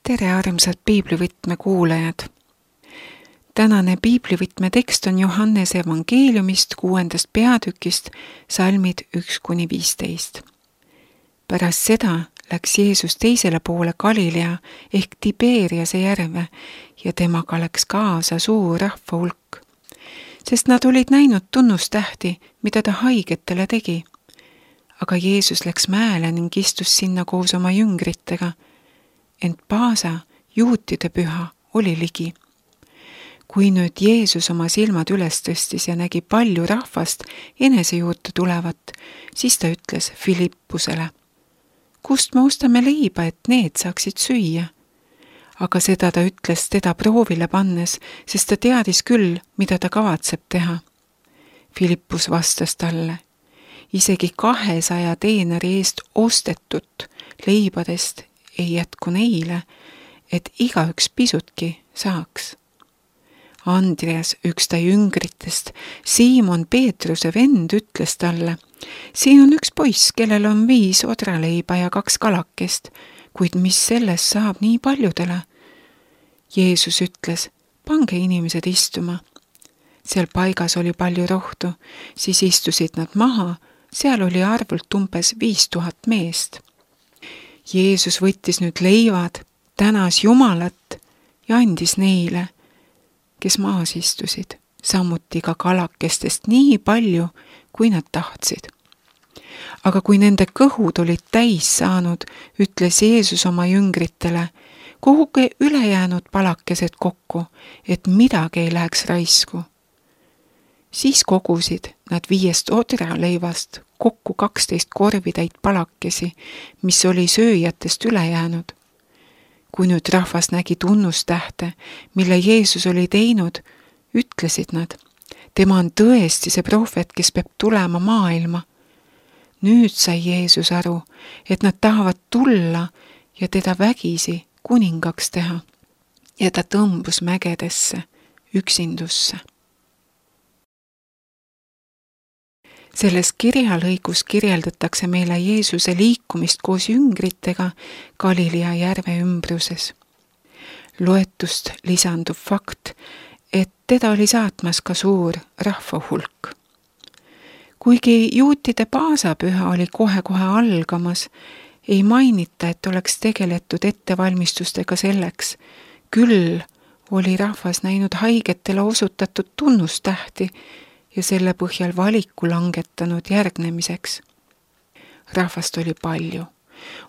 Tere armsad piiblivõtme kuulajad! Tänane piiblivõtme tekst on Johannese evangeeliumist 6. peatükist, salmid 1-15. Pärast seda läks Jeesus teisele poole Galilea ehk Tiberiase järve ja temaga läks kaasa suur rahva hulk, sest nad olid näinud tunnustähti, mida ta haigetele tegi. Aga Jeesus läks mäele ning istus sinna koos oma jüngritega, ent Paasa, juutide püha, oli ligi. Kui nüüd Jeesus oma silmad üles tõstis ja nägi palju rahvast enese juurde tulevat, siis ta ütles Filippusele: "Kust me ostame leiba, et need saaksid süüa?" Aga seda ta ütles teda proovile pannes, sest ta teadis küll, mida ta kavatseb teha. Filippus vastas talle: "Isegi 200 teenari eest ostetut leibadest ei jätku neile, et igaüks pisutki saaks." Andreas, üks ta jüngritest, Siimon Peetruse vend, ütles talle: "Siin on üks poiss, kellel on 5 odraleiba ja 2 kalakest, kuid mis sellest saab nii paljudele?" Jeesus ütles: "Pange inimesed istuma." Seal paigas oli palju rohtu, siis istusid nad maha, seal oli arvult umbes 5000 meest. Jeesus võttis nüüd leivad, tänas Jumalat ja andis neile, kes maas istusid, samuti ka kalakestest nii palju, kui nad tahtsid. Aga kui nende kõhud olid täis saanud, ütles Jeesus oma jüngritele: "Koguge ülejäänud palakesed kokku, et midagi ei läheks raisku." Siis kogusid nad 5 odraleivast kokku 12 korvitäit palakesi, mis oli sööjatest üle jäänud. Kui nüüd rahvas nägi tunnustähte, mille Jeesus oli teinud, ütlesid nad: "Tema on tõesti see prohvet, kes peab tulema maailma." Nüüd sai Jeesus aru, et nad tahavad tulla ja teda vägisi kuningaks teha, ja ta tõmbus mägedesse, üksindusse. Selles kirjalõigus kirjeldatakse meile Jeesuse liikumist koos jüngritega Galilea järve ümbruses. Loetust lisandub fakt, et teda oli saatmas ka suur rahvahulk. Kuigi juutide Paasapüha oli kohe-kohe algamas, ei mainita, et oleks tegeletud ettevalmistustega selleks. Küll oli rahvas näinud haigetele osutatud tunnustähti ja selle põhjal valiku langetanud järgnemiseks. Rahvast oli palju.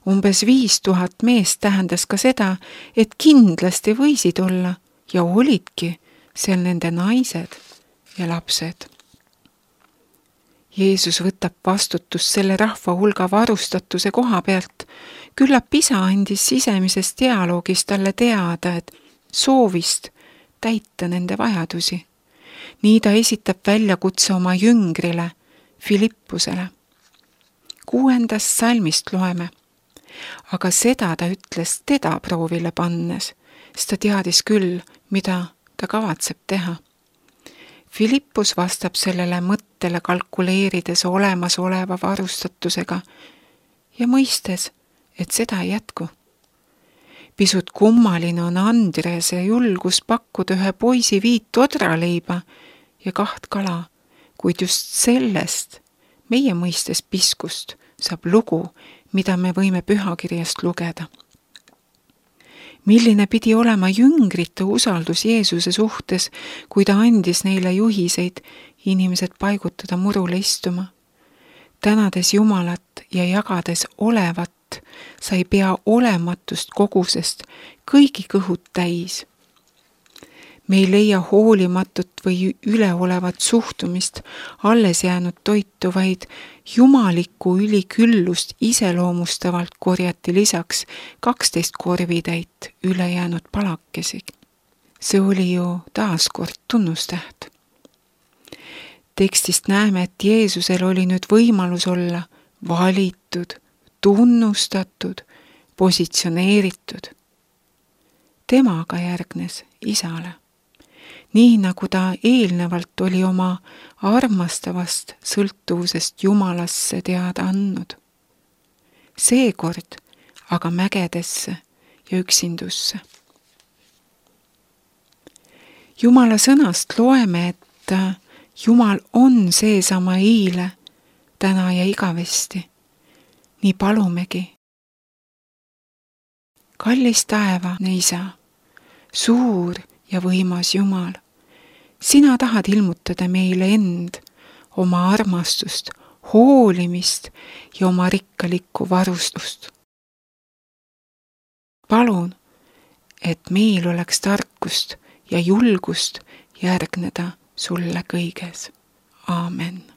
Umbes 5000 meest tähendas ka seda, et kindlasti võisid olla ja olidki seal nende naised ja lapsed. Jeesus võtab vastutust selle rahva hulga varustatuse koha pealt. Küllap isa andis sisemises dialoogis talle teada, et soovist täita nende vajadusi. Nii ta esitab väljakutse oma jüngrile, Filippusele. 6. salmist loeme: "Aga seda ta ütles teda proovile pannes, sest ta teadis küll, mida ta kavatseb teha." Filippus vastab sellele mõttele kalkuleerides olemasoleva varustatusega ja mõistes, et seda ei jätku. Pisut kummaline on Andrease julgus pakkuda ühe poisi 5 odraleiba ja 2 kala, kuid just sellest, meie mõistes piskust, saab lugu, mida me võime pühakirjast lugeda. Milline pidi olema jüngrite usaldus Jeesuse suhtes, kui ta andis neile juhiseid inimesed paigutada murule istuma. Tänades Jumalat ja jagades olevat, sai pea olematust kogusest kõigi kõhud täis. Me ei leia hoolimatut või üleolevat suhtumist alles jäänud toitu, vaid jumalikku üliküllust iseloomustavalt korjati lisaks 12 korvitäit ülejäänud palakesi. See oli ju taaskord tunnustäht. Tekstist näeme, et Jeesusel oli nüüd võimalus olla valitud, tunnustatud, positsioneeritud. Temaga järgnes isale. Nii nagu ta eelnevalt oli oma armastavast sõltuvusest Jumalasse teada andnud. Seekord aga mägedesse ja üksindusse. Jumala sõnast loeme, et Jumal on seesama eile, täna ja igavesti. Nii palumegi. Kallis taevane Isa, suur ja võimas Jumal, sina tahad ilmutada meile end, oma armastust, hoolimist ja oma rikkalikku varustust. Palun, et meil oleks tarkust ja julgust järgneda sulle kõiges. Aamen.